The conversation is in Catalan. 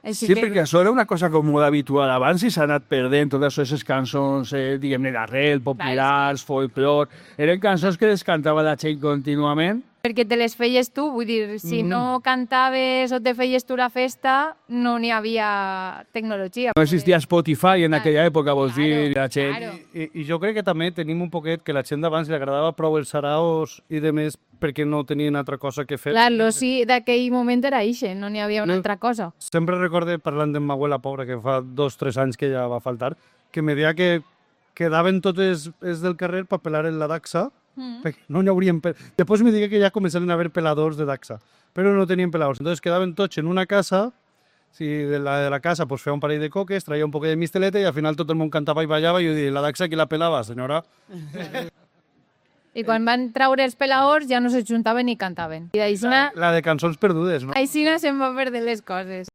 Sí, perquè això era una cosa com molt habitual abans i s'ha anat perdent totes aquestes cançons, diguem-ne, d'arrel, populars, folclor. Eren cançons que les cantava la gent contínuament. Perquè te les feies tu, vull dir, si no cantaves o te feies tu la festa, no n'hi havia tecnologia. No existia Spotify en aquella època, vols dir, la gent... Claro. I jo crec que també tenim un poquet que la gent d'abans li agradava prou els saraos i de més perquè no tenien altra cosa que fer. Clar, l'oci d'aquell moment era ixe, no n'hi havia una altra cosa. Sempre recorde, parlant d'en ma abuela pobra, que fa 2 o 3 anys que ja va faltar, que me deia que quedaven totes els del carrer per pelar en la daxa, perquè no n'hi haurien... Després me digué que ja començaren a haver peladors de daxa, però no tenien peladors. Entonces quedaven tots en una casa, de la casa pues, feia un parell de coques, traia un poc de misteleta i al final tot el món cantava i ballava i jo dic, la daxa qui la pelava, senyora? I quan van traure els pelaors ja no se juntaven ni cantaven. I d'aixina La de cançons perdudes, no? se'n va perdre les coses.